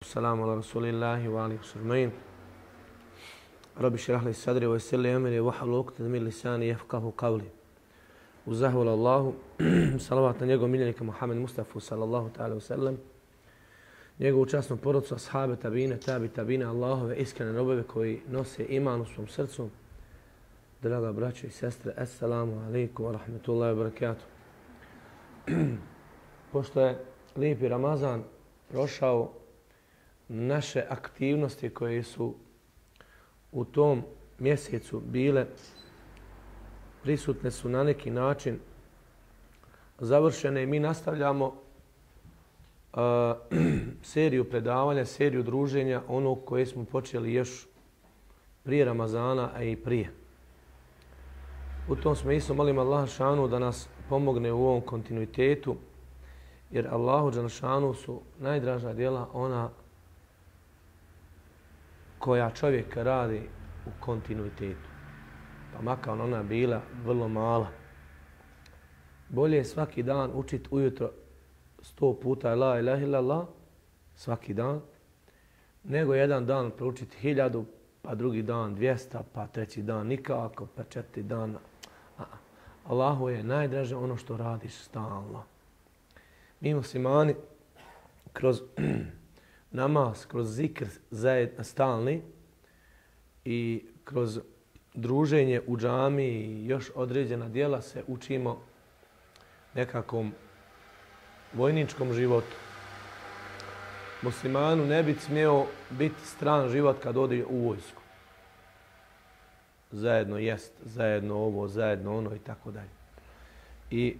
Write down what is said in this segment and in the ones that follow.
Assalamu ala rasulillahi wa alihi sajma'in. Rabbi šrah li sadri wa yassir li amri wahlul uqdatan min lisani yafqahu qawli. Uz zahvalu Allahu, salavat na njegovog miljenika Muhammed Mustafa sallallahu ta'ala wa sallam, njegovu časnu porodcu, ashabe, tabine, Allahove iskrene robove koji nose iman u svom srcu. Draga braćo i sestre, assalamu alaikum wa rahmatullahi wa barakatuh. Pošto je lijepi Ramazan prošao, naše aktivnosti koje su u tom mjesecu bile prisutne su na neki način završene i mi nastavljamo seriju predavanja, seriju druženja, ono koje smo počeli još prije Ramazana, a i prije. U tom smislu molim Allah šanu da nas pomogne u ovom kontinuitetu, jer Allahu dželešanu su najdraža djela ona koja čovjek radi u kontinuitetu. Pa makar ona bila vrlo mala. Bolje je svaki dan učiti ujutro 100 puta la ilaha illallah, svaki dan, nego jedan dan proučiti 1000, pa drugi dan 200, pa treći dan nikako, pa četiri dana. Allahu je najdraže ono što radiš stalno. Mi muslimani kroz namaz, kroz zikr stalni i kroz druženje u džami i još određena djela se učimo nekakvom vojničkom životu. Muslimanu ne bi smjeo biti stran život kad ode u vojsku. Zajedno jest, zajedno ovo, zajedno ono i tako dalje. I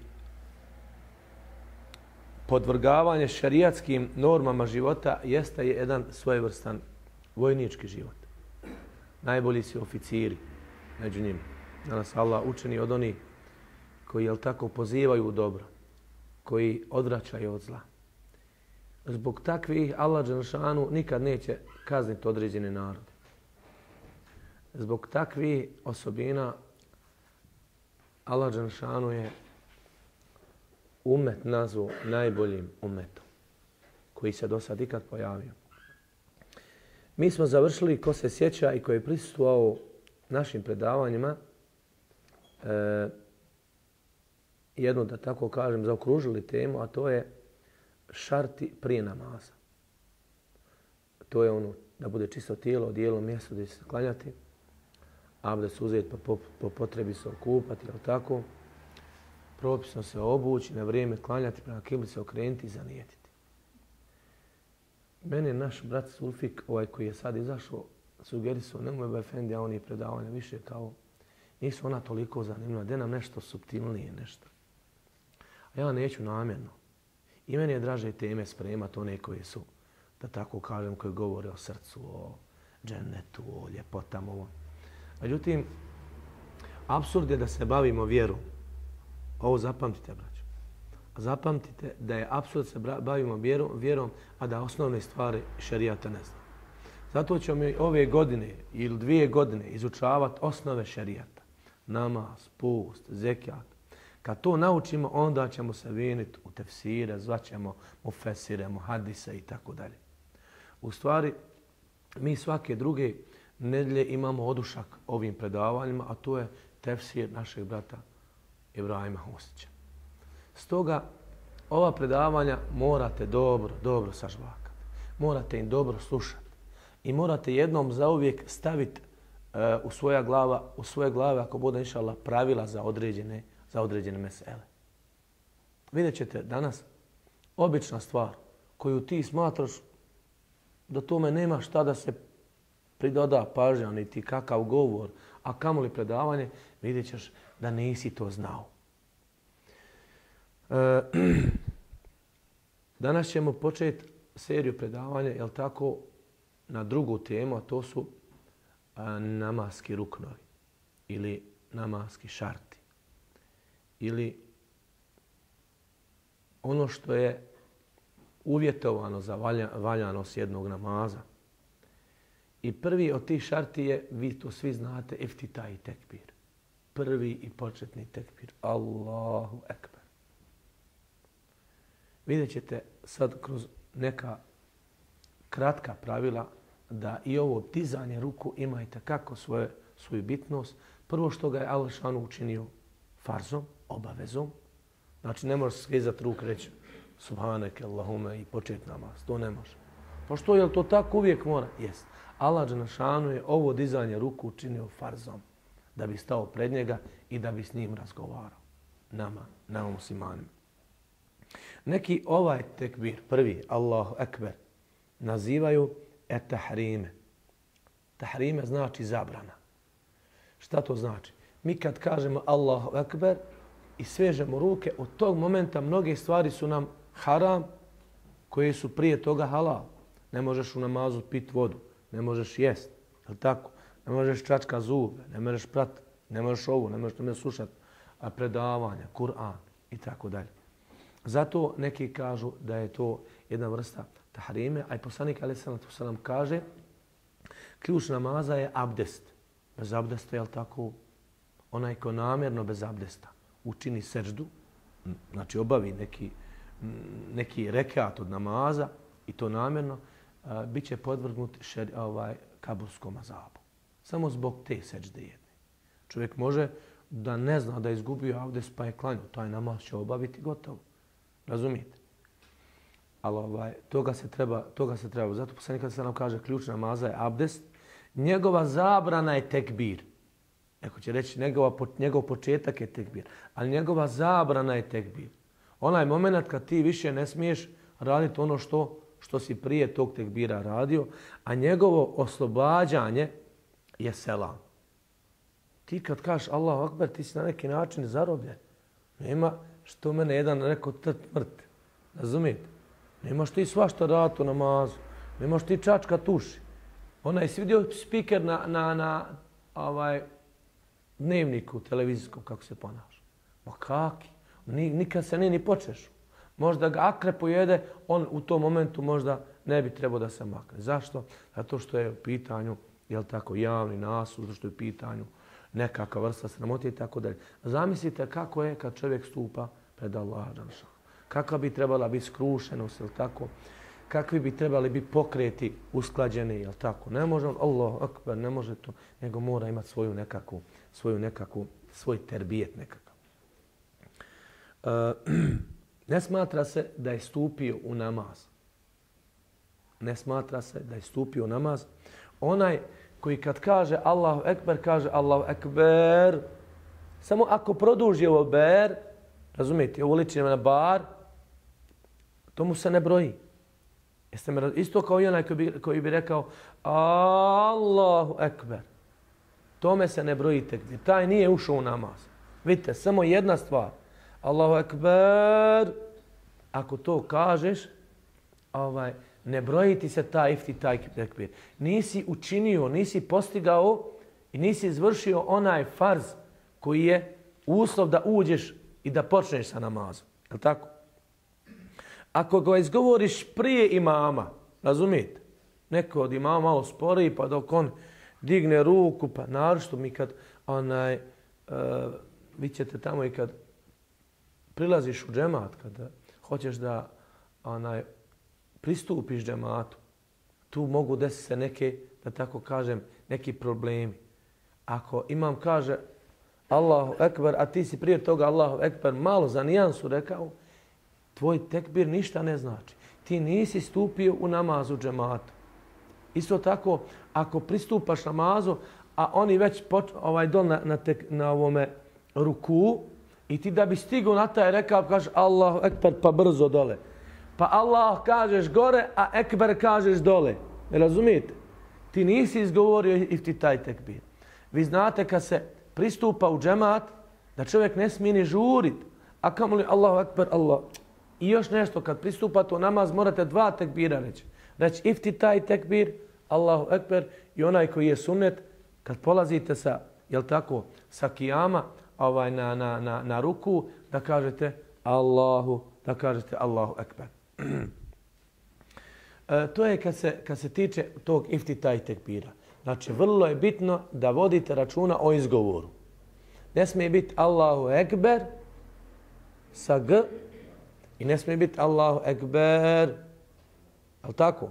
podvrgavanje šarijatskim normama života jeste jedan svojevrstan vojnički život. Najbolji su oficiri među njima. Danas Allah učeni od onih koji, jel tako, pozivaju u dobro, koji odvraćaju od zla. Zbog takvih Allah dželešanu nikad neće kazniti određene narode. Zbog takvih osobina Allah dželešanu je umet nazvao najboljim umetom koji se do sad ikad pojavio. Mi smo završili, ko se sjeća i ko je prisustvovao našim predavanjima, jednu, da tako kažem, zaokružili temu, a to je šarti prije namaza. To je ono da bude čisto tijelo, odijelo, mjesto gdje će se klanjati, abdest uzeti pa po potrebi se okupati, jel tako? Propisno se obući, na vrijeme klanjati, prema kibli se okrenuti i zanijetiti. Mene naš brat Sulfik, ovaj koji je sad izašao, sugerisao, nemoj ba efendi, a oni predavanja više kao, nisu ona toliko zanimljiva, gdje nam nešto suptilnije, nešto. A ja neću namjerno. I meni je draže teme spremati one koje su, da tako kažem, koje govore o srcu, o džennetu, o ljepotama. Međutim, apsurd je da se bavimo vjerom. Ovo zapamtite, braćo. Zapamtite da je apsurd se bavimo vjerom, a da osnovne stvari šerijata ne znamo. Zato ćemo mi ove godine ili 2 godine izučavati osnove šerijata. Namaz, post, zekijat. Kad to naučimo, onda ćemo se viniti u tefsire, zvaćemo mufesire, muhadise i tako dalje. U stvari, mi svake druge nedjelje imamo odušak ovim predavanjima, a to je tefsir našeg brata Ibrahima Husića. Stoga, ova predavanja morate dobro sažvakati. Morate im dobro slušati. I morate jednom zauvijek staviti u svoje glave, ako bude inšallah, pravila za određene mesele. Vidjet ćete danas obična stvar koju ti smatraš da tome nema šta da se pridoda pažnja, niti kakav govor, a kamoli predavanje, vidjet ćeš da nisi to znao. Danas ćemo početi seriju predavanja, jel tako, na drugu temu, a to su namaski ruknovi ili namaski šarti. Ili ono što je uvjetovano za valjanost jednog namaza. I prvi od tih šarti je, vi to svi znate, iftitah i tekbir. Prvi i početni tekbir. Allahu ekber. Vidjet ćete sad kroz neka kratka pravila da i ovo dizanje ruku ima itekako svoju bitnost. Prvo što ga je Allah šanu učinio farzom, obavezom. Znači ne možeš skizati ruku reći subhaneke Allahume i početi namaz. To ne može. Pa što, je li to tako uvijek mora? Jest. Allah dželešanu je ovo dizanje ruku učinio farzom da bi stao pred njega i da bi s njim razgovarao. Nama muslimanima. Neki ovaj tekbir, prvi, Allahu ekber, nazivaju tahrime. Tahrime znači zabrana. Šta to znači? Mi kad kažemo Allahu ekber i svežemo ruke, od tog momenta mnoge stvari su nam haram koje su prije toga halal. Ne možeš u namazu piti vodu, ne možeš jest, je li tako? Ne možeš čačka zube, ne možeš pratiti, ne možeš ovo, ne možeš slušati predavanja, Kur'an i tako dalje. Zato neki kažu da je to jedna vrsta tahrime, a i poslanik alejhi selatu selam kaže ključ namaza je abdest. Bez abdesta, je li tako? Onaj ko namjerno bez abdesta učini seždu, znači obavi neki rekat od namaza i to namjerno, bit će podvrgnut kaburskom azabu. Samo zbog te sežde jedne. Čovjek može da ne zna da je izgubio abdest pa je klanju. Taj namaz će obaviti gotovo. Razumijete? Ali toga se treba. Zato poslanik kad se nam kaže ključ namaza je abdest, njegova zabrana je tekbir. Neko će reći njegov početak je tekbir, ali njegova zabrana je tekbir. Onaj moment kad ti više ne smiješ raditi ono što si prije tog tekbira radio, a njegovo oslobađanje je selam. Ti kad kažeš Allahu akbar, ti si na neki način zarobljen. Nema što mene jedan rekao mrt. Razumijete? Nemaš ti svašta raditi u namazu. Nemaš ti čačka tuši. Onaj si vidio spiker na dnevniku televizijskom kako se ponaša. Ma kaki? Nikad se ni počeš. Možda ga akre pojede, on u tom momentu možda ne bi trebao da se makne. Zašto? Zato što je u pitanju, jel tako, javni nasud, zato što je u pitanju nekakva vrsta sramote i tako dalje. Zamislite kako je kad čovjek stupa pred Allaha dželešanu. Kakva bi trebala biti skrušenost, jel tako? Kakvi bi trebali biti pokreti usklađeni, jel tako? Ne može Allahu akbar, ne može to, nego mora imati svoj terbijet nekakav. Ne smatra se da je stupio u namaz. Ne smatra se da je stupio u namaz. Onaj koji kad kaže Allahu ekber, kaže Allahu ekber. Samo ako produži ovo ber, razumijete, ovo liči na bar, to mu se ne broji. Isto kao i onaj koji bi rekao Allahu ekber. Tome se ne broji tekbir. Taj nije ušao u namaz. Vidite, samo jedna stvar. Allahu ekber. Ako to kažeš, ne broji ti se taj tekbir. Nisi učinio, nisi postigao i nisi izvršio onaj farz koji je uslov da uđeš i da počneš sa namazom. Je li tako? Ako ga izgovoriš prije imama, razumijete? Neko od imama malo sporiji, pa dok on digne ruku, pa naročito mi kad vi ćete tamo i kad prilaziš u džemat, kada hoćeš da pristupiš džematu, tu mogu desiti se neke, da tako kažem, neki problemi. Ako imam kaže Allahu ekber, a ti si prije toga Allahu ekber malo za nijansu rekao, tvoj tekbir ništa ne znači. Ti nisi stupio u namazu džemata. Isto tako, ako pristupaš namazu, a oni već dol na ovome ruku, i ti da bi stigao na taj rekav, kažeš Allahu ekber, pa brzo dole. Pa Allah kažeš gore, a ekber kažeš dole. Ne razumijete? Ti nisi izgovorio i ti taj tekbir. Vi znate kad se pristupa u džemat, da čovjek ne smije ni žuriti. A kamoli Allahu ekber, Allah. I još nešto, kad pristupate u namaz, morate dva tekbira reći. Reći ifti taj tekbir, Allahu ekber, i onaj koji je sunnet, kad polazite sa, jel tako, sa kijama, na ruku, da kažete Allahu ekber. To je kad se tiče tog ifti taj tekbira. Znači, vrlo je bitno da vodite računa o izgovoru. Ne smije biti Allahu ekber sa g i ne smije biti Allahu ekber. Ali tako?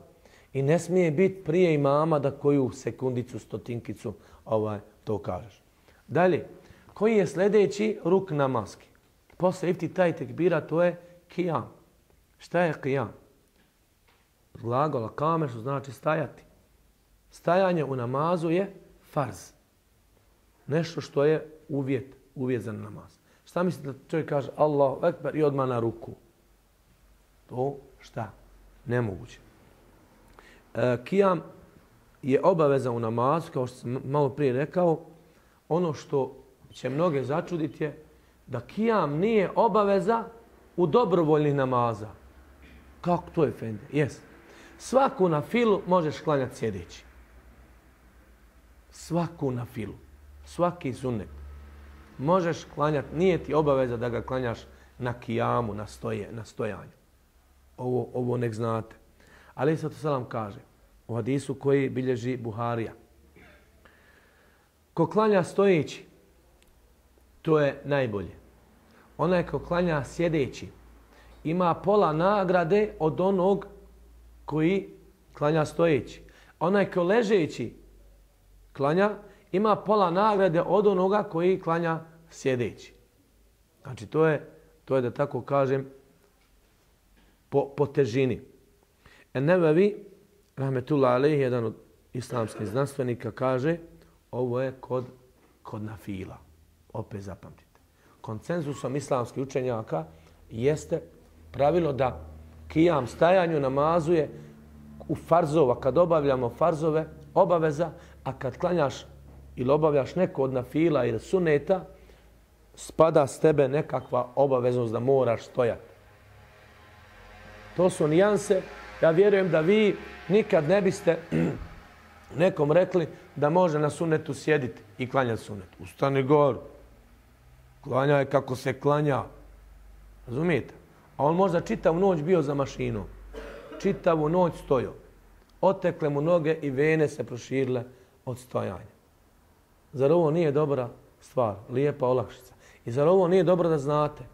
I ne smije biti prije imama da koju sekundicu, stotinkicu to kažeš. Dalje, koji je sljedeći ruk namaski? Posle iftitaj tekbira to je kijam. Šta je kijam? Glagola kame što znači stajati. Stajanje u namazu je farz. Nešto što je uvjet za namaz. Šta mislite da čovjek kaže Allahu ekber i odmah na ruku? To šta? Nemoguće. Kijam je obaveza u namazu, kao što sam malo prije rekao. Ono što će mnoge začuditi je da kijam nije obaveza u dobrovoljnih namaza. Kako to je, Efendi? Jes. Svaku na filu možeš klanjati sjedeći. Svaku na filu. Svaki sunnet. Možeš klanjati, nije ti obaveza da ga klanjaš na kijamu, na stojanju. Ovo nek znate. Ali sad to selam kaže u hadisu koji bilježi Buharija. Ko klanja stojeći, to je najbolje. Onaj ko klanja sjedeći, ima pola nagrade od onog koji klanja stojeći. Onaj ko ležeći klanja, ima pola nagrade od onoga koji klanja sjedeći. Znači to je da tako kažem po težini. En-Nevevi, rahmetullah alejhi, jedan od islamskih znanstvenika, kaže ovo je kod nafila. Opet zapamtite. Konsenzusom islamskih učenjaka jeste pravilo da kijam stajanju namazu je u farzova, kad obavljamo farzove, obaveza, a kad klanjaš ili obavljaš neko od nafila ili suneta, spada s tebe nekakva obaveznost da moraš stojati. To su nijanse. Ja vjerujem da vi nikad ne biste nekom rekli da može na sunetu sjediti i klanjati sunet. Ustani goru. Klanja je kako se klanja. Razumijete? A on možda čitavu noć bio za mašinom. Čitavu noć stojao. Otekle mu noge i vene se proširile od stojanja. Zar ovo nije dobra stvar? Lijepa olakšica. I zar ovo nije dobro da znate?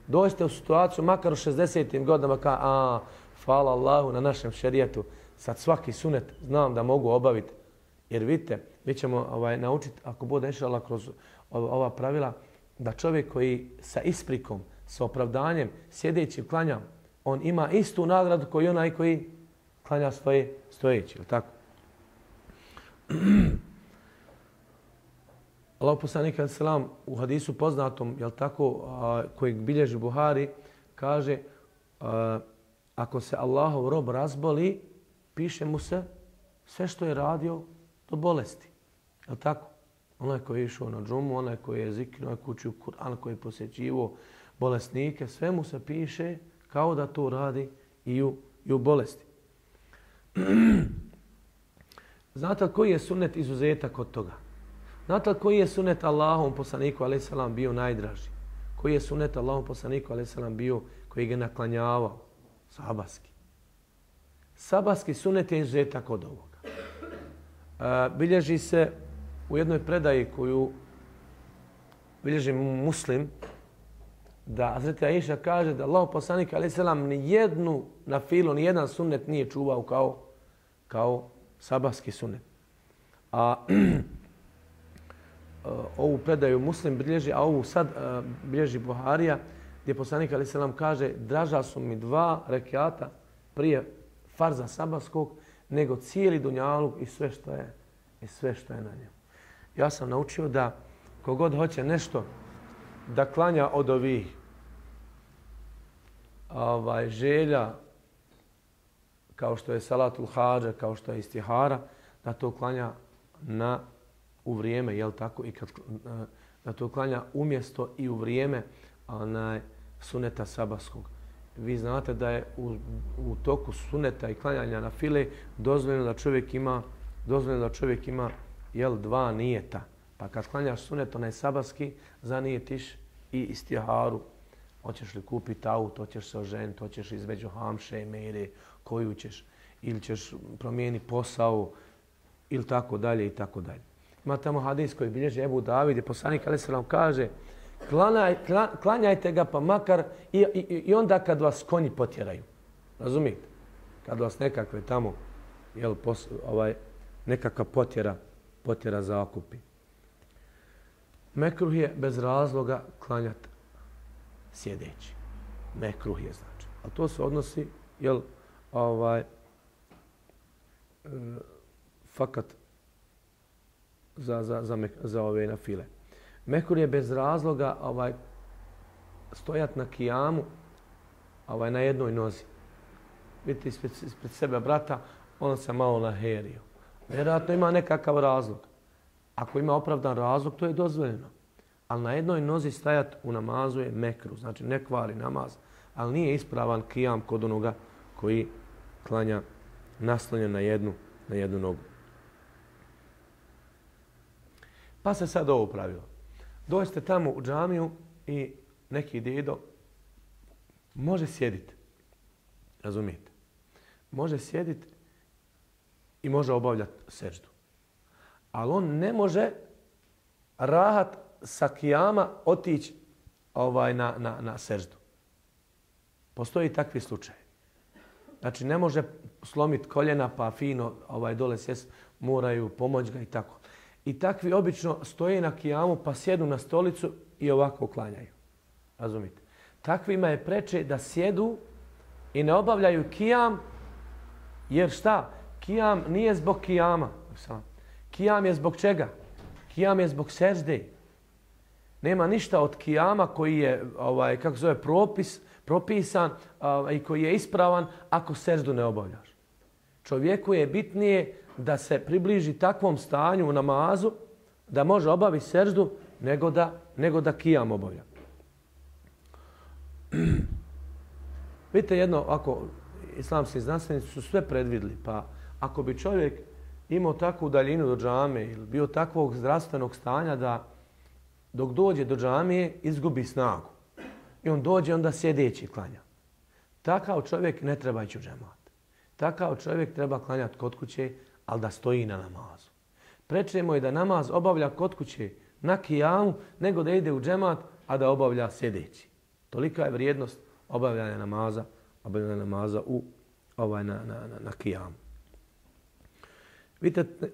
Dođete u situaciju, makar u 60. godinama, hvala Allahu na našem šerijetu, sad svaki sunet znam da mogu obaviti. Jer vidite, mi ćemo naučiti, ako bude inšallah kroz ova pravila, da čovjek koji sa isprikom, sa opravdanjem, sjedeći klanja, on ima istu nagradu koji onaj koji klanja stojeći. Je li tako? Allahu poslanik alejhi selam u hadisu poznatom, je li tako, kojeg bilježi Buhari, kaže ako se Allahov rob razboli, piše mu se sve što je radio do bolesti. Je li tako? Onaj koji je išao na džumu, onaj koji je zikrio, onaj koji učio Kur'an, koji je posjećivo bolesnike, sve mu se piše kao da to radi i u bolesti. Znate li koji je sunnet izuzetak od toga? Znate li koji je sunnet Allahovom poslaniku alejhi selam bio najdraži? Koji je sunnet Allahovom poslaniku alejhi selam bio koji ga naklanjavao? Sabaski. Sabaski sunnet je izuzetak od ovoga. Bilježi se u jednoj predaji koju bilježi Muslim, da Hazreti Aisha kaže da Allahov poslanik alejhi selam ni jednu nafilu, ni jedan sunnet nije čuvao kao sabaski sunnet. A ovu predaju Muslim bilježi, a ovu sad bilježi Buharija, gdje poslanik alejhi selam kaže draža su mi 2 rekata prije farza sabaskog nego cijeli dunjaluk i sve što je na njemu. Ja sam naučio da kogod hoće nešto da klanja od ovih želja, kao što je salatul hadža, kao što je istihara, da to klanja u vrijeme, jel tako, i da to klanja umjesto i u vrijeme suneta sabaskog. Vi znate da je u toku suneta i klanjanja na file dozvoljeno da čovjek ima 2 nijeta. Pa kad klanjaš sunet, onaj sabaski, zanijetiš i istiharu. Hoćeš li kupiti auto, hoćeš se oženiti, hoćeš između hamše i mere, koju ćeš, ili ćeš promijeniti posao, ili tako dalje i tako dalje. Ima tamo hadis koji bilježi Ebu David i poslanik alejhi selam kaže klanjajte ga pa makar i onda kad vas konji potjeraju. Razumijete? Kad vas nekakve tamo nekakva potjera zakupi. Mekruh je bez razloga klanjati sjedeći. Mekruh je znači. A to se odnosi fakat za ove nafile. Mekruh je bez razloga stojat na kijamu na jednoj nozi. Vidite ispred sebe brata, on se malo naherio. Vjerojatno ima nekakav razlog. Ako ima opravdan razlog, to je dozvoljeno. Ali na jednoj nozi stajat u namazu je mekruh, znači ne kvari namaz, ali nije ispravan kijam kod onoga koji klanja naslonjen na jednu nogu. Pa se sad ovo pravilo. Dođete tamo u džamiju i neki dedo može sjediti. Razumijete? Može sjediti i može obavljati seždu. Ali on ne može rahat sa kijama otići na seždu. Postoji takvi slučaj. Znači ne može slomiti koljena pa fino dole sjest, moraju pomoć ga i tako. I takvi obično stoje na kijamu pa sjedu na stolicu i ovako klanjaju. Razumite? Takvima je preče da sjedu i ne obavljaju kijam, jer šta? Kijam nije zbog kijama. Kijam je zbog čega? Kijam je zbog sežde. Nema ništa od kijama koji je propisan i koji je ispravan ako seždu ne obavljaš. Čovjeku je bitnije da se približi takvom stanju u namazu da može obaviti seždu nego da kijam obavlja. Vidite jedno, ako islamski znanstvenici su sve predvidli, pa ako bi čovjek imao takvu daljinu do džame ili bio takvog zdravstvenog stanja da dok dođe do džamije izgubi snagu i on dođe onda sjedeći klanja. Takav čovjek ne treba ići u džemat. Takav čovjek treba klanjati kod kuće, ali da stoji na namazu. Preče mu je da namaz obavlja kod kuće na kijamu nego da ide u džemat, a da obavlja sjedeći. Tolika je vrijednost obavljanja namaza na kijamu.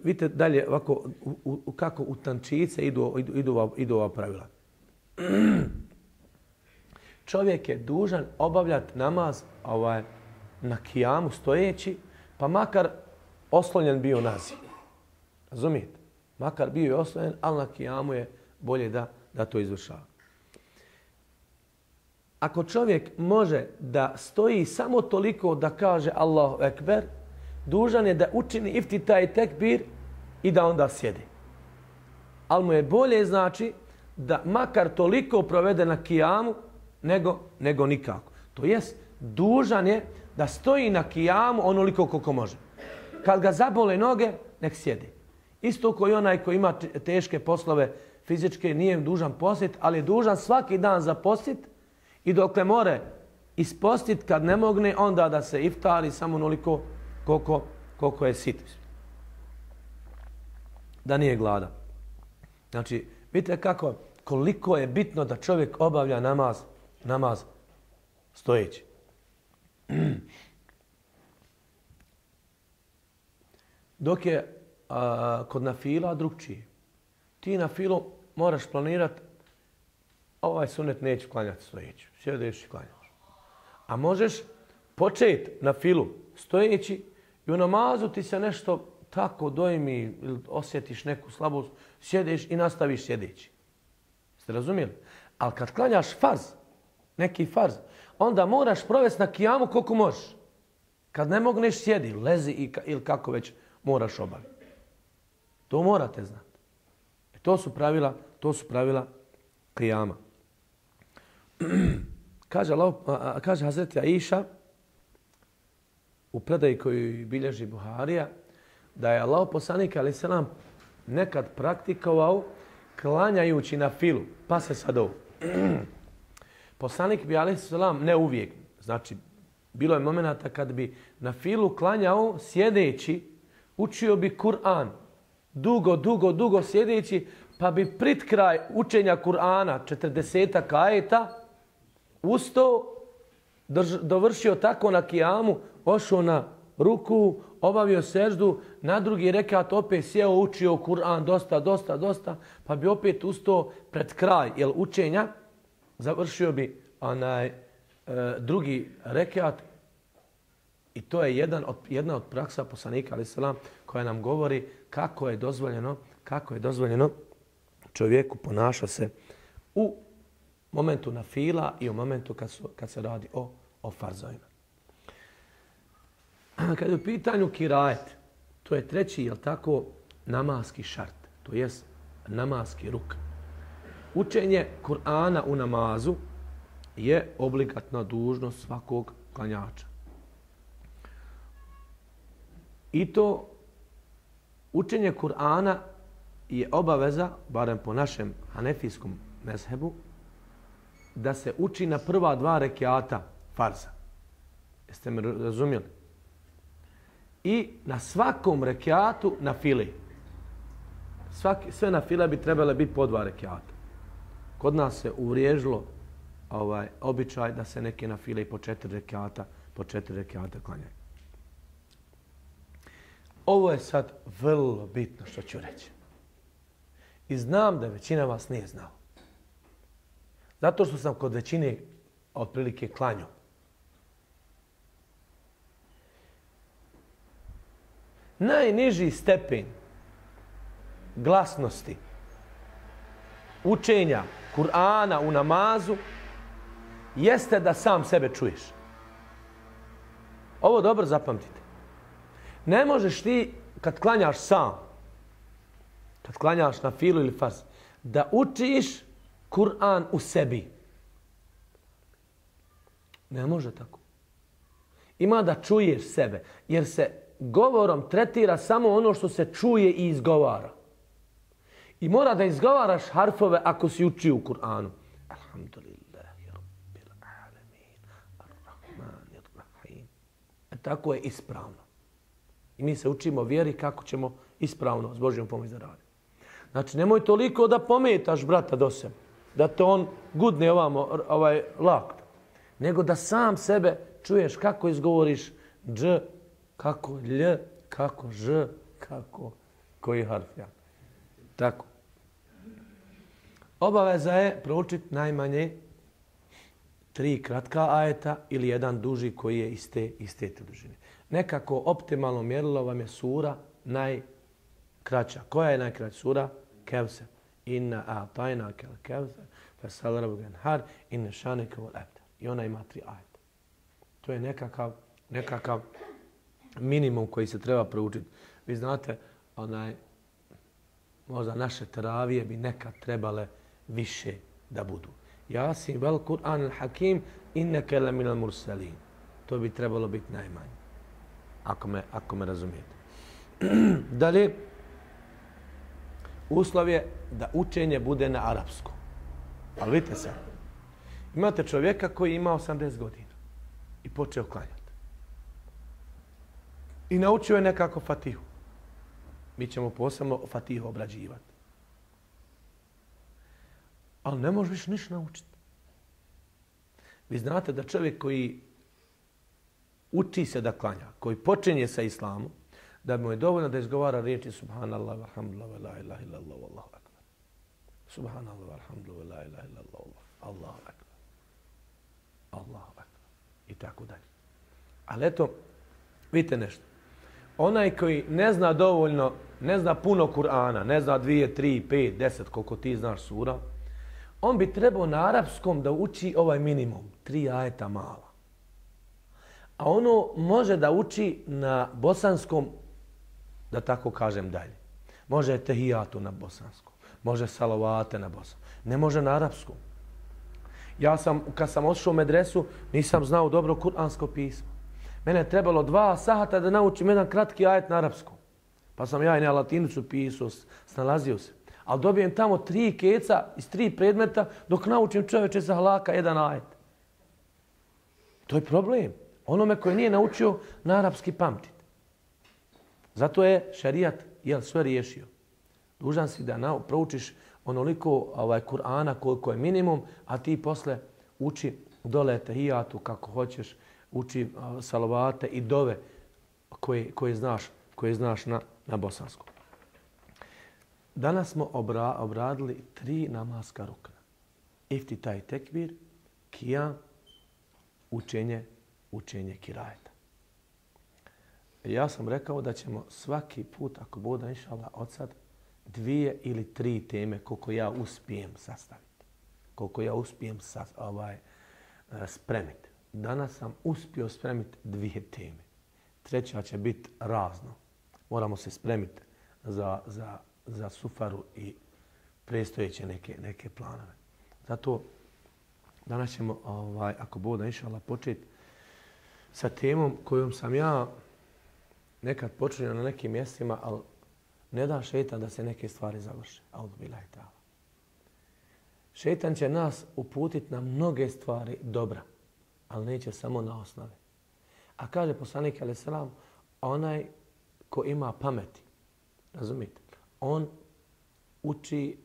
Vidite dalje ovako, kako u tančice idu ova pravila. Čovjek je dužan obavljati namaz na kijamu stojeći, pa makar oslonjen bio naziv. Razumijete? Makar bio je oslonjen, ali na kijamu je bolje da to izvršava. Ako čovjek može da stoji samo toliko da kaže Allahu ekber, dužan je da učini iftitaj tekbir i da onda sjedi. Ali mu je bolje znači da makar toliko provede na kijamu nego nikako. To jest, dužan je da stoji na kijamu onoliko koliko može. Kad ga zabole noge, nek sjedi. Isto koji onaj koji ima teške poslove fizičke nije dužan postiti, ali je dužan svaki dan zapostiti i dokle more ispostiti kad ne mogne, onda da se iftari samo onoliko koliko je sit. Da nije gladan. Znači, vidite koliko je bitno da čovjek obavlja namaz stojeći. Dok je kod nafila drugčije. Ti na filu moraš planirati ovaj sunet neću klanjati stojeći. Sjedeš i klanjaš. A možeš početi na filu stojeći i u namazu ti se nešto tako dojmi ili osjetiš neku slabost, sjedeš i nastaviš sjedeći. Ste razumijeli? Ali kad klanjaš farz, neki farz, onda moraš provesti na kijamu koliko možeš. Kad ne mogneš sjedi, lezi ili kako već moraš obaviti. To morate znati. To su pravila kijama. Kaže Hazreti Aisha u predaji koju bilježi Buharija da je Allahov poslanik alejhi selam nekad praktikovao klanjajući na filu. Pa se sad ovo. Poslanik bi alejhi selam, ne uvijek, znači bilo je momenata kad bi na filu klanjao sjedeći, učio bi Kur'an. Dugo sjedeći, pa bi prit kraj učenja Kur'ana 40 ajeta ustao, dovršio tako na kijamu, ošao ruku, obavio seždu, na drugi rekat opet sjeo, učio Kur'an dosta, pa bi opet ustao pred kraj učenja, završio bi drugi rekat. I to je jedna od praksa poslanika alejhi selam koja nam govori kako je dozvoljeno čovjeku ponaša se u momentu nafila i u momentu kad se radi o farzovima. Kad je u pitanju kirajet, to je treći, namaski šart, to jest namaski ruk. Učenje Kur'ana u namazu je obligatna dužnost svakog klanjača. I to učenje Kur'ana je obaveza, barem po našem hanefijskom mezhebu, da se uči na prva 2 rekiata farza. Jeste me razumjeli? I na svakom rekiatu na fili. Sve na file bi trebale biti po 2 rekiata. Kod nas se uvriježilo običaj da se neke na file i po 4 rekiata klanjaju. Ovo je sad vrlo bitno što ću reći. I znam da većina vas nije znala. Zato što sam kod većine otprilike klanjao. Najniži stepen glasnosti učenja Kur'ana u namazu jeste da sam sebe čuješ. Ovo dobro zapamtite. Ne možeš ti, kad klanjaš sam, kad klanjaš na filu ili farz, da učiš Kur'an u sebi. Ne može tako. Ima da čuješ sebe, jer se govorom tretira samo ono što se čuje i izgovara. I mora da izgovaraš harfove ako si učio u Kur'anu. Alhamdulillahi rabbil alamin, ar-rahmanir rahim. Tako je ispravno. I mi se učimo vjeri kako ćemo ispravno s Božjom pomoći da radimo. Znači, nemoj toliko da pometaš brata do sebe, da te on gudne lakt, nego da sam sebe čuješ kako izgovoriš dž, kako lj, kako ž, kako koji harf ja. Tako. Obaveza je proučiti najmanje 3 kratka ajeta ili jedan duži koji je iste dužine. Nekako optimalno mjerilo vam je sura najkraća. Koja je najkraća sura? Kevser. Inna a'tajnaka al-kevser, fasal rabbuka wanhar, inna šaneka wal abtar. I ona ima 3 ajeta. To je nekakav minimum koji se treba proučiti. Vi znate, možda naše teravije bi nekad trebale više da budu. Jasin vel Kur'an al-Hakim, inneke la minal mursalin. To bi trebalo biti najmanje. Ako me razumijete. Dalje, uslov je da učenje bude na arapskom. Ali vidite se, imate čovjeka koji ima 80 godina i počeo klanjati. I naučio je nekako Fatihu. Mi ćemo posebno Fatihu obrađivati. Ali ne možeš više ništa naučiti. Vi znate da čovjek koji uči se da klanja, koji počinje sa islamom, da mu je dovoljno da izgovara riječi subhanallah, alhamdulillah, la ilaha illallah, wallahu akbar. Subhanallah, alhamdulillah, la ilaha illallah, Allahu akbar. Allahu akbar. I tako dalje. Ali eto, vidite nešto. Onaj koji ne zna dovoljno, ne zna puno Kur'ana, ne zna 2, 3, 5, 10, koliko ti znaš sura, on bi trebao na arapskom da uči ovaj minimum, 3 ajeta mala. A ono može da uči na bosanskom, da tako kažem dalje. Može tehijatu na bosanskom, može salavate na bosanskom, ne može na arapskom. Ja kad sam otišao u medresu, nisam znao dobro kuransko pismo. Mene je trebalo 2 sata da naučim jedan kratki ajet na arapskom. Pa sam ja i na latinicu pisao, snalazio se. Ali dobijem tamo 3 keca iz 3 predmeta dok naučim čovječe za halaka jedan ajet. To je problem. Onome koji nije naučio na arapski pamtiti. Zato je šerijat sve riješio. Dužan si da proučiš onoliko Kur'ana koliko je minimum, a ti posle uči dole tehijatu kako hoćeš, uči salavate i dove koje znaš na bosanskom. Danas smo obradili 3 namaska rukna. Iftitaj tekbir, kijam, učenje kirajeta. Ja sam rekao da ćemo svaki put, ako bude inšallah od sad, 2 ili 3 teme koliko ja uspijem sastaviti. Koliko ja uspijem spremiti. Danas sam uspio spremiti 2 teme. 3. će biti razno. Moramo se spremiti za sufaru i predstojeće neke planove. Zato danas ćemo, ako bude inšallah, početi sa temom kojom sam ja nekad počeo na nekim mjestima, ali ne da šeitan da se neke stvari završe. Auzubillahi ta'ala. Šeitan će nas uputiti na mnoge stvari dobra, ali neće samo na osnovi. A kaže poslanik alejhi selam, onaj ko ima pameti, razumite, on uči,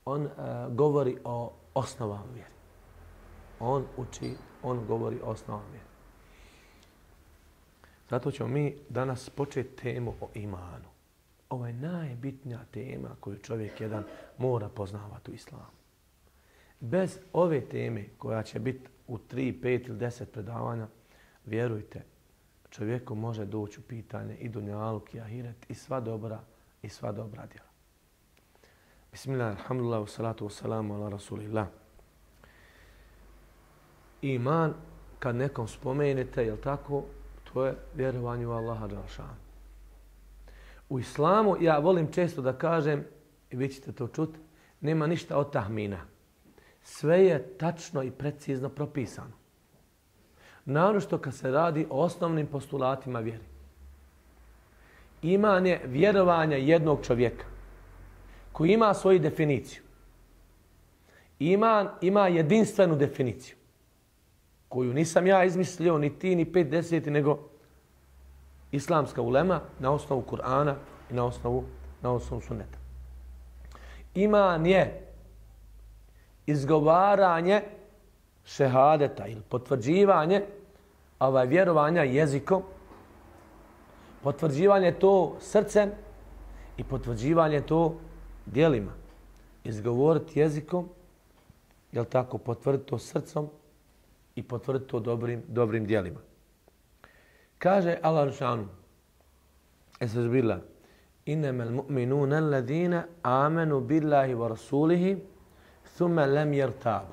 on govori o osnovama vjeri. On govori o osnovama vjeri. Zato ćemo mi danas početi temu o imanu. Ovo je najbitnija tema koju čovjek jedan mora poznavati u islamu. Bez ove teme koja će biti u 3, 5 ili 10 predavanja, vjerujte, čovjeku može doći u pitanje i dunjaluk i ahiret i sva dobra djela. Bismillah, alhamdulillah, salatu wassalamu ala rasulillah. Iman, kad nekom spomenete, jel tako, to je vjerovanje u Allaha dželešanu. U islamu, ja volim često da kažem, i vi ćete to čuti, nema ništa od tahmina. Sve je tačno i precizno propisano. Naročito kad se radi o osnovnim postulatima vjeri. Iman je vjerovanje jednog čovjeka koji ima svoju definiciju. Iman ima jedinstvenu definiciju koju nisam ja izmislio, ni ti, ni 50, nego islamska ulema na osnovu Kur'ana i na osnovu sunneta. Iman je izgovaranje šehadeta ili potvrđivanje vjerovanja jezikom, potvrđivanje to srcem i potvrđivanje to djelima. Izgovoriti jezikom, jel tako, potvrditi to srcom i potvrditi to dobrim djelima. Kaže Allah dželešanu, Estağfirullah, innamal mu'minuna alladhina amanu billahi wa rasulihi thumma lam yartabu.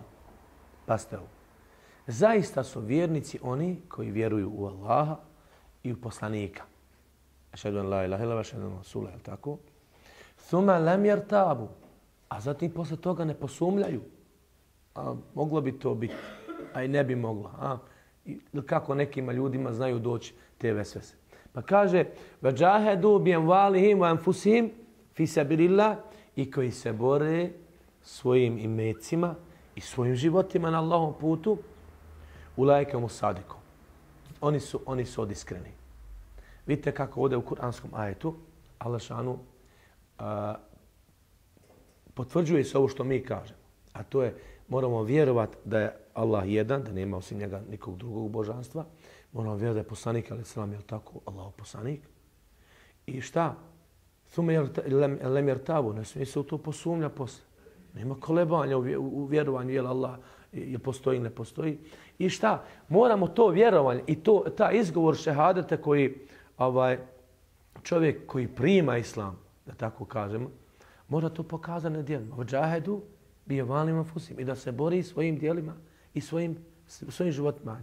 Pazite ovo. Zaista su vjernici oni koji vjeruju u Allaha i u poslanika. Ašhadu an la ilaha illallah wa ašhadu anna rasula, je tako? Thumma lam yartabu. A zatim posle toga ne posumljaju. A moglo bi to biti, a i ne bi moglo. Kako nekima ljudima znaju doći te vesvese. Pa kaže وَجَاهَدُوا بِأَمْوَالِهِمْ وَأَنْفُسِهِمْ فِي سَبِيلِ اللَّهِ, i koji se bore svojim imecima i svojim životima na Allahovom putu, ulajke mu sadikom. Oni su od iskreni. Vidite kako ovdje u kuranskom ajetu Allah šanu potvrđuje se ovo što mi kažemo. A to je, moramo vjerovati da je Allah jedan, da nema osim njega nikog drugog božanstva. Moramo vjerovati da je poslanik, ali selam, je li tako, Allahov poslanik. I šta? Thume lem jertabu, ne smije se u to posumnja posle. Nema kolebanja u vjerovanju, je li Allah je postoji, ne postoji. I šta? Moramo to vjerovanje i ta izgovor šehadete koji čovjek koji prima islam, da tako kažemo, mora to pokazati na djelima. Vađahedu bi valima fusim, i da se bori svojim djelima i svojim životima.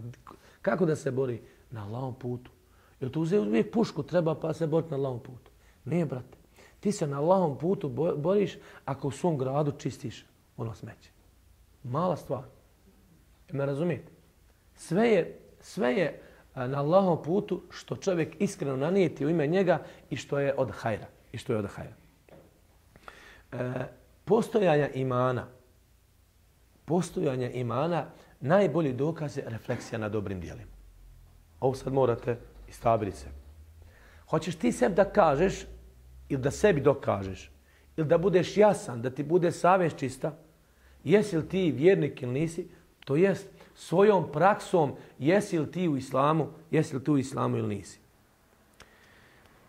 Kako da se bori? Na Allahovom putu. Jer tu uvijek pušku treba pa se boriti na Allahovom putu. Nije, brate. Ti se na Allahovom putu boriš ako u svom gradu čistiš ono smeće. Mala stvar. Me razumijete? Sve je na Allahovom putu što čovjek iskreno nanijeti u ime njega i što je od hajra. Postojanje imana najbolji dokaz je refleksija na dobrim djelima. Ovo sad morate istabiriti se. Hoćeš ti sebi da kažeš ili da sebi dokažeš ili da budeš jasan, da ti bude savjest čista, jesi li ti vjernik ili nisi, to jest svojom praksom jesi li ti u islamu ili nisi.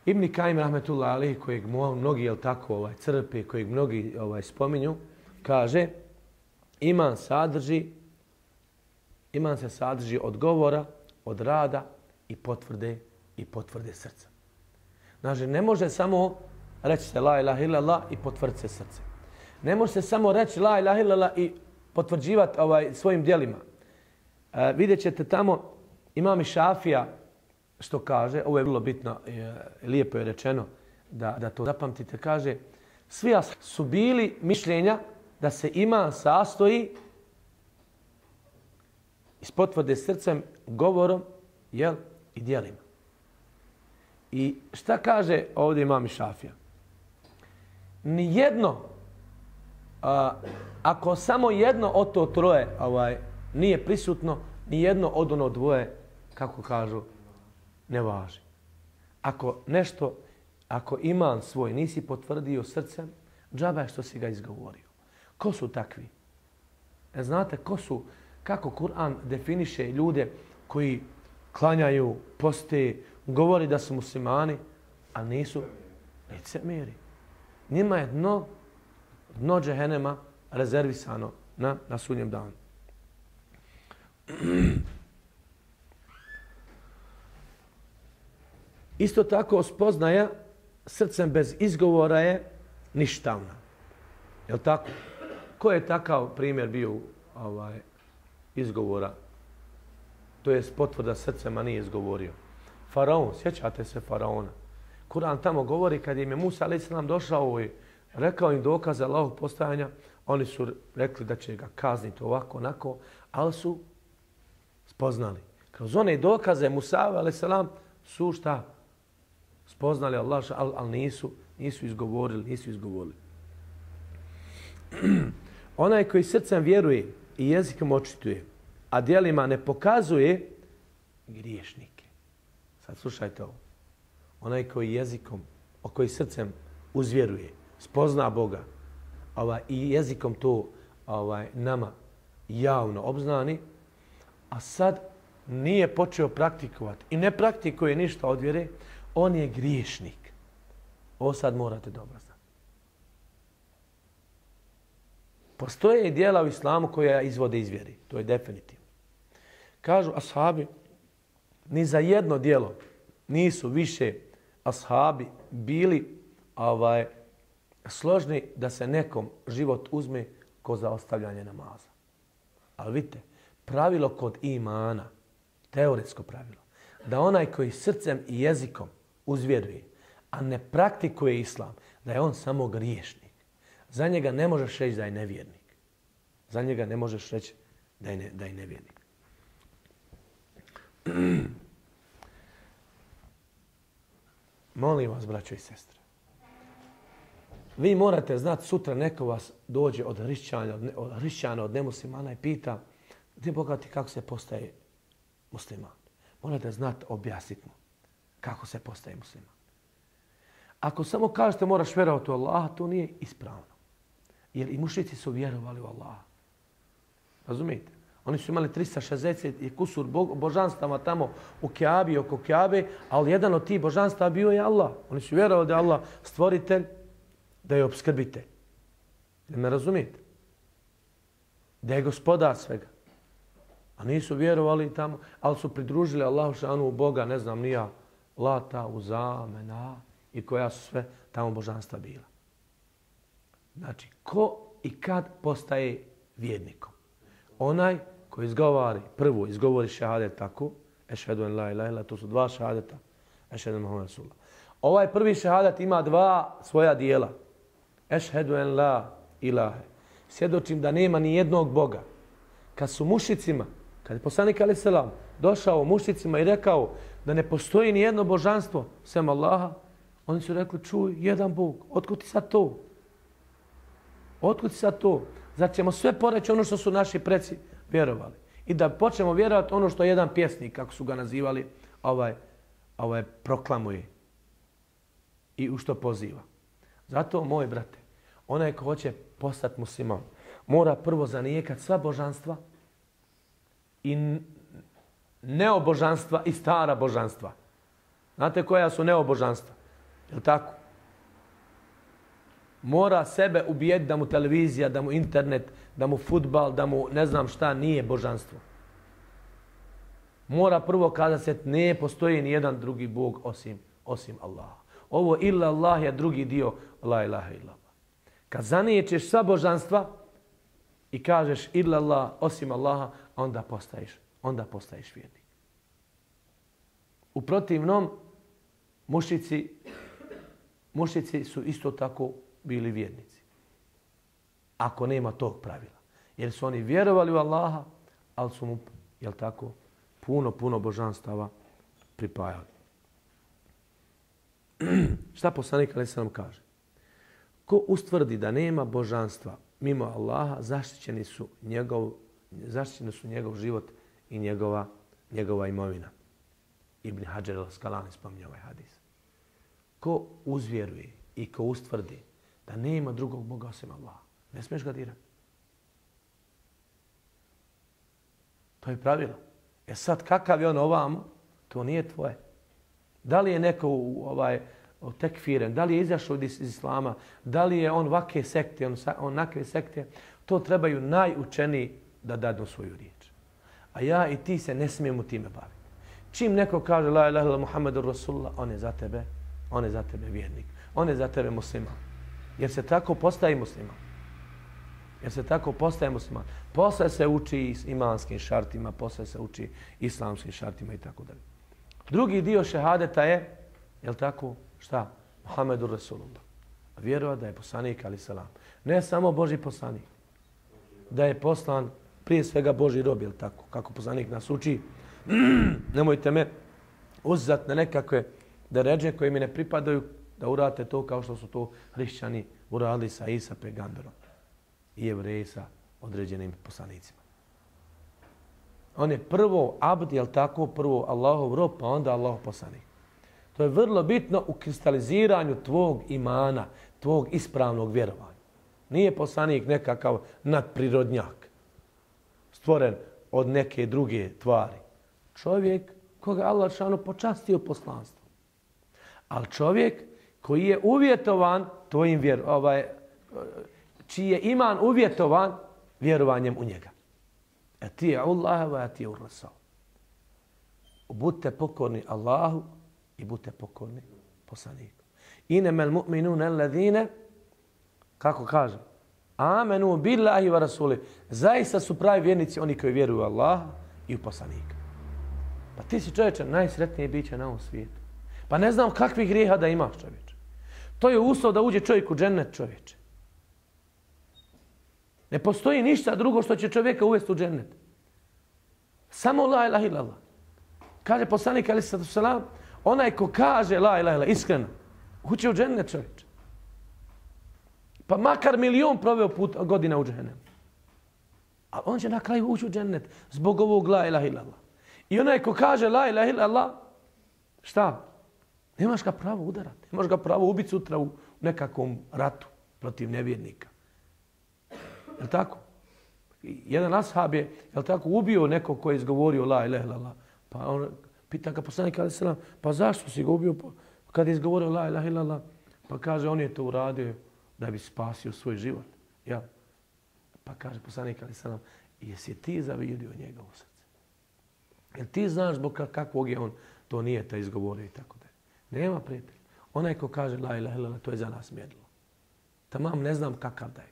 Ibn Kajim rahmetullah alejhi, kojeg mnogi jel tako crpe, kojeg mnogi spominju, kaže iman se sadrži od govora, od rada i potvrde srca. Znači, ne može samo reći se la ilaha illallah i potvrditi se srce. Ne može se samo reći la ilaha illallah i potvrđivati svojim djelima. Vidjet ćete tamo, imam i Šafija što kaže, ovo je vrlo bitno, lijepo je rečeno da to zapamtite, kaže svi su bili mišljenja da se iman sastoji iz potvrde srcem, govorom i djelima. I šta kaže ovdje imam i Šafija? Nijedno, ako samo jedno od to troje nije prisutno, nijedno od ono dvoje, kako kažu, ne važi. Ako iman svoj nisi potvrdio srcem, džaba je što si ga izgovorio. Ko su takvi? Znate kako Kur'an definiše ljude koji klanjaju, poste, govori da su muslimani, a nisu licemjeri. Njima je dno džehennema rezervisano na sudnjem danu. Isto tako spoznaja srcem bez izgovora je ništavna. Je li tako? Ko je takav primjer bio izgovora? To je potvrda srcem, a nije izgovorio. Faraon, sjećate se Faraona? Kur'an tamo govori kad im je Musa a.s. došao i rekao im dokaze Allahovog postojanja, oni su rekli da će ga kazniti ovako, onako, ali su spoznali. Kroz one dokaze Musa a.s. su šta? Spoznali Allah, ali nisu izgovorili. Onaj koji srcem vjeruje i jezikom očituje, a djelima ne pokazuje, griješnike. Sad slušajte ovo. Onaj koji jezikom, koji srcem uzvjeruje, spozna Boga i jezikom to nama javno obznani, a sad nije počeo praktikovati i ne praktikuje ništa od vjere, on je griješnik. Ovo sad morate dobro znati. Postoje djela u islamu koja izvode iz vjeri. To je definitivno. Kažu ashabi, ni za jedno djelo nisu više ashabi bili složni da se nekom život uzme ko za ostavljanje namaza. Ali vidite, pravilo kod imana, teoretsko pravilo, da onaj koji srcem i jezikom uzvjeruje, a ne praktikuje islam, da je on samo griješnik. Za njega ne možeš reći da je nevjernik. Za njega ne možeš reći da je nevjernik. Molim vas, braćo i sestre, vi morate znati, sutra neko vas dođe od hrišćana, od nemuslimana i pita, gdje Boga ti kako se postaje musliman? Morate znati, objasniti mu kako se postaje musliman. Ako samo kažete moraš vjerovati u Allaha, to nije ispravno. Jer i mušrici su vjerovali u Allaha. Razumijete? Oni su imali 360 i kusur božanstava tamo u Kjabi, oko Kjabe, ali jedan od tih božanstava bio je Allah. Oni su vjerovali da je Allah stvoritelj, da je opskrbitelj. Da me razumijete? Da je gospodar svega. A nisu vjerovali tamo, ali su pridružili Allahu šanu Boga, ne znam ni ja, Lata, Uza, Mena i koja su sve tamo božanstva bila. Znači, ko i kad postaje vjernikom? Onaj koji prvo izgovori šehadet tako, ešhedu en la ilaha illallah, to su dva šehadeta, ešhedu en Muhammed Rasulullah. Ovaj prvi šehadet ima dva svoja dijela. Ešhedu en la ilaha. Svjedočim da nema ni jednog Boga. Kad su mušicima, kad je poslanik alejhi selam došao mušicima i rekao da ne postoji ni jedno božanstvo sem Allaha, oni su rekli, čuj, jedan Bog, otkud ti sad to? Otkud ti sad to? Zar ćemo sve poreći ono što su naši preci vjerovali? I da počnemo vjerovati ono što jedan pjesnik, kako su ga nazivali, proklamuje i u što poziva. Zato, moj brate, onaj ko hoće postati musliman, mora prvo zanijekati sva božanstva i neobožanstva i stara božanstva. Znate koja su neobožanstva? Je li tako? Mora sebe ubijeti da mu televizija, da mu internet, da mu fudbal, da mu ne znam šta nije božanstvo. Mora prvo kada se ne postoji ni jedan drugi Bog osim Allaha. Ovo illa Allah je drugi dio la ilaha illallah. Kad zaniječeš sva božanstva i kažeš illa Allah osim Allaha, onda postaješ vjernik. U protivnom, mušici su isto tako bili vjernici. Ako nema tog pravila. Jer su oni vjerovali u Allaha, ali su mu, jel tako, puno božanstava pripajali. Šta poslanik alejhi selam kaže? Ko ustvrdi da nema božanstva mimo Allaha, zaštićeni su njegov život i njegova imovina. Ibn Hadžar al-Askalani spominje ovaj hadis. Ko uzvjeruje i ko ustvrdi da nema drugog Boga osim Allaha, ne smiješ ga dirati. To je pravilo. Sad kakav je on ovamo, to nije tvoje. Da li je neko tekfiren, da li je izašao iz islama, da li je on ovakve sekte, onakve sekte, to trebaju najučeniji da dadnu svoju riječ. A ja i ti se ne smijemo time baviti. Čim neko kaže la ilaha illallah Muhammedur Rasulullah, on je za tebe vjernik. On je za tebe musliman. Jer se tako postaje musliman. Posle se uči imanskim šartima, posle se uči islamskim šartima i tako dalje. Drugi dio šehadeta je, jel tako, šta? Muhammedur Rasulullah. Vjerova da je poslanik alejhi selam. Ne samo Božji poslanik. Da je poslan prije svega Božji rob, jel tako? Kako poslanik nas uči. Nemojte me uzeti na nekakve deredže koje mi ne pripadaju, da uradite to kao što su to hrišćani uradili sa Isa pegamberom i Jevreji sa određenim poslanicima. On je prvo abd, jel tako, prvo Allahov rob, pa onda Allahov poslanik. To je vrlo bitno u kristaliziranju tvog imana, tvog ispravnog vjerovanja. Nije poslanik nekakav nadprirodnjak, stvoren od neke druge tvari. Čovjek koga Allah šanu počastio poslanstvom. Ali čovjek koji je uvjetovan tvojim čiji je iman uvjetovan vjerovanjem u njega. Ati'u Allaha wa ati'u Rasul. Budite pokorni Allahu i budite pokorni poslaniku. Innamal mu'minuna alladhina, kako kaže, amenu billahi wa rasuli. Zaista su pravi vjernici oni koji vjeruju u Allaha i u poslanika. Pa ti si čovječe najsretnije biće na ovom svijetu. Pa ne znam kakvih grijeha da imaš, čovječe. To je uslov da uđe čovjek u džennet, čovječe. Ne postoji ništa drugo što će čovjeka uvesti u džennet. Samo la ilaha illallah. Kaže poslanik alejhi selam, onaj ko kaže la ilaha illallah iskreno, uće u džennet, čovječe. Pa makar milion proveo godina u džehennemu. A on će na kraju ući u džennet zbog ovog la ilaha illallah. I onaj ko kaže la ilaha illallah, šta? Nemaš ga pravo udarati. Nemaš ga pravo ubiti sutra u nekakvom ratu protiv nevjernika. Je li tako? Jedan ashab je, je li tako, ubio nekog koji je izgovorio la ilaha illallah. Pa on pita ga poslanik alejhi selam, pa zašto si ga ubio kad je izgovorio la ilaha illallah? Pa kaže, on je to uradio da bi spasio svoj život. Ja. Pa kaže poslanik alejhi selam, jesi ti zavidio njega u srce? Jel ti znaš zbog kakvog je on to nije ta izgovorio i tako da. Nema prijatelja. Onaj ko kaže la ilaha illallah, to je za nas mjerilo. Tamam ne znam kakav da je.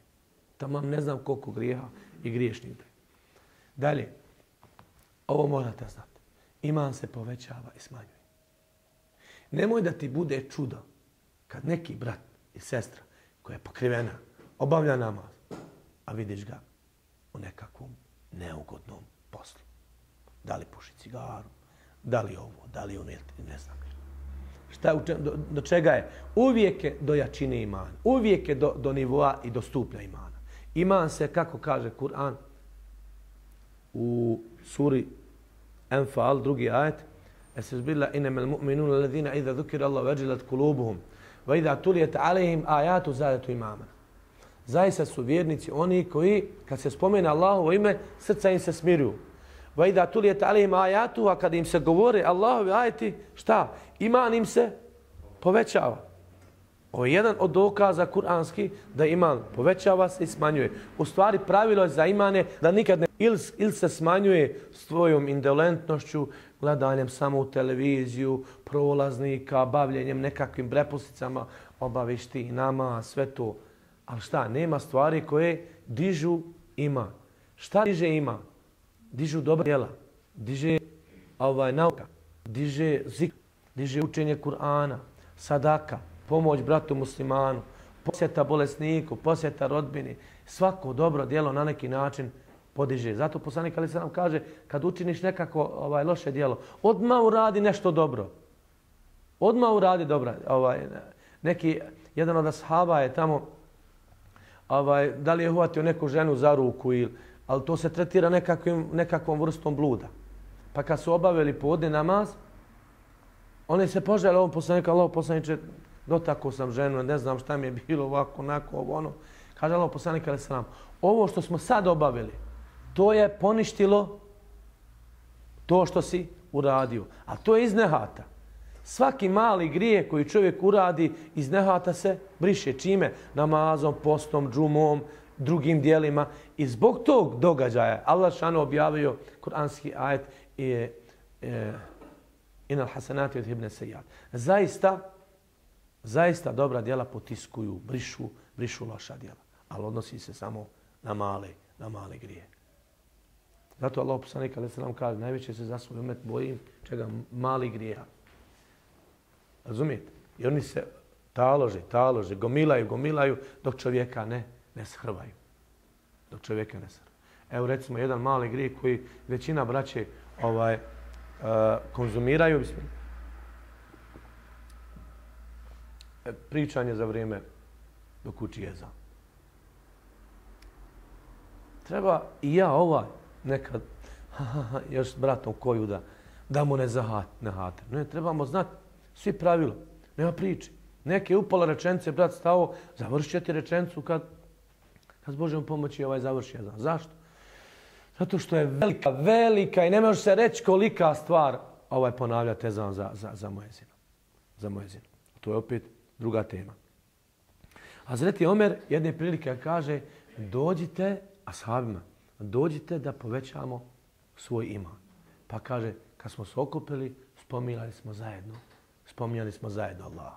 Tamam ne znam koliko grijeha i griješnih da je. Dalje, ovo morate znati. Iman se povećava i smanjuje. Nemoj da ti bude čudo kad neki brat i sestra koja je pokrivena, obavlja namaz, a vidiš ga u nekakvom neugodnom poslu. Da li puši cigaru, da li ovo, da li ono, ne znam. Do čega je? Uvijek je do jačine imana. Uvijek je do nivoa i do stupnja imana. Iman se, kako kaže Kur'an u suri Enfal, drugi ajet, Esbilla innamal mu'minuna alladhina idha dhukira Allah wajilat qulubuhum wa idha tuliyat alayhim ayatu zadatu imana. Zaista su vjernici oni koji kad se spomene Allahovo ime, srca im se smiruju. Va idha tuliyat alayhim ayatu, a kad im se govore Allahovi ajeti, šta? Iman im se povećava. Ovo je jedan od dokaza kuranski da iman povećava se i smanjuje. U stvari pravilo je za imane da nikad ne ili se smanjuje svojom indolentnošću, gledanjem samo u televiziju, prolaznika, bavljenjem nekakvim prepusticama, obavišti i nama, sve to. Ali šta, nema stvari koje dižu iman. Šta diže iman? Dižu dobra djela, diže nauka, diže zikr, diže učenje Kur'ana, sadaka, pomoć bratu muslimanu, posjeta bolesniku, posjeta rodbini. Svako dobro djelo na neki način podiže. Zato poslanik alejhi selam kaže kad učiniš nekako loše djelo, odmah uradi nešto dobro. Odmah uradi dobro. Jedan od ashaba je tamo da li je uhvatio neku ženu za ruku ali to se tretira nekakvom vrstom bluda. Pa kad su obavili podne namaz, oni se požele ovom poslaniku, Allahov poslaniče, dotakao sam ženu, ne znam šta mi je bilo ovako, onako, ono. Kaže Allahov poslanik alejhi selam, ovo što smo sad obavili, to je poništilo to što si uradio. A to je iz nehata. Svaki mali grijeh koji čovjek uradi iz nehata se briše. Čime? Namazom, postom, džumom, drugim dijelima. I zbog tog događaja Allah šano objavio kuranski ajet inal hasanati yudhibne sejat. Zaista dobra djela potiskuju, brišu loša djela. Ali odnosi se samo na male grije. Zato Allah poslanik alejhi selam kaže najviše se za svoj umet bojim čega mali grijeha. Razumijete? I oni se talože, gomilaju dok čovjeka ne shrvaju. Evo recimo jedan mali grijeh koji većina braće konzumiraju. Pričanje za vrijeme dok uči ezan. Treba i ja nekad još s bratom koju da mu ne hate. Ne, trebamo znati svi pravila. Nema priče. Neke upola rečenice, brat stao, završit će ti rečenicu kad s Božjom pomoći završi ezan. Zašto? Zato što je velika i ne može se reći kolika stvar ponavljati ezan za muezinom. To je opet druga tema. Hazreti Omer jedne prilike kaže dođite ashabima, dođite da povećamo svoj iman. Pa kaže, kad smo se okupili, spominjali smo zajedno Allah.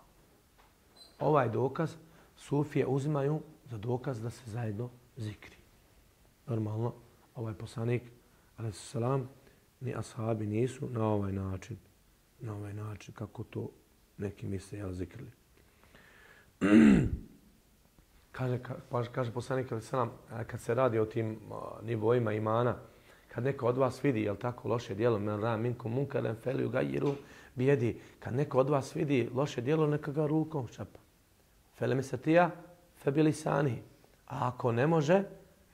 Ovaj dokaz sufije uzimaju za dokaz da se zajedno zikri. Normalno, ovaj poslanik, alejhi selam, ni ashabi nisu na ovaj način kako to neki misle zikrili. Kaže poslanik alejhi selam, kad se radi o tim nivoima imana, kad neko od vas vidi, loše djelo, men ra minkum munkaran falyughayyirhu bijedi, kad neko od vas vidi loše djelo, neka ga rukom šapa. Felem yastati' fa bilisanihi. A ako ne može,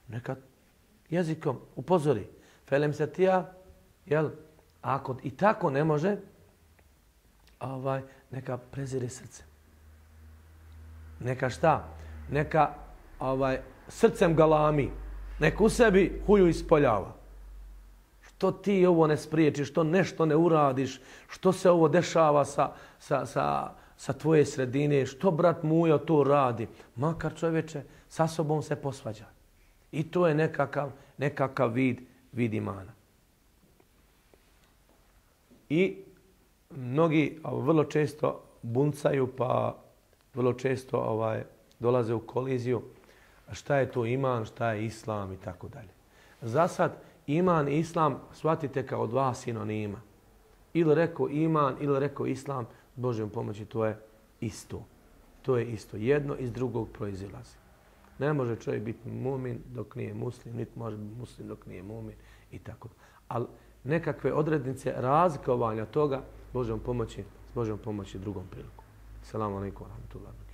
neka jezikom upozori. Felem yastati', ako i tako ne može, neka prezire srce. Neka šta? Neka srcem galami. Neka u sebi huju ispoljava. Što ti ovo ne spriječiš, što nešto ne uradiš, što se ovo dešava sa tvoje sredine, što brat Mujo to radi. Makar čovječe sa sobom se posvađa. I to je nekakav vid imana. I mnogi vrlo često buncaju pa vrlo često dolaze u koliziju. Šta je to iman, šta je islam i tako dalje. Za sad iman i islam shvatite kao dva sinonima. Ili rekao iman, ili rekao islam, s Božjom pomoći to je isto. To je isto. Jedno iz drugog proizilazi. Ne može čovjek biti mumin dok nije muslim, niti može biti muslim dok nije mumin i tako. Ali nekakve odrednice razlikovanja toga s Božjom pomoći drugom priliku. Selamu alejkum wa rahmetullahi wa barakatuh.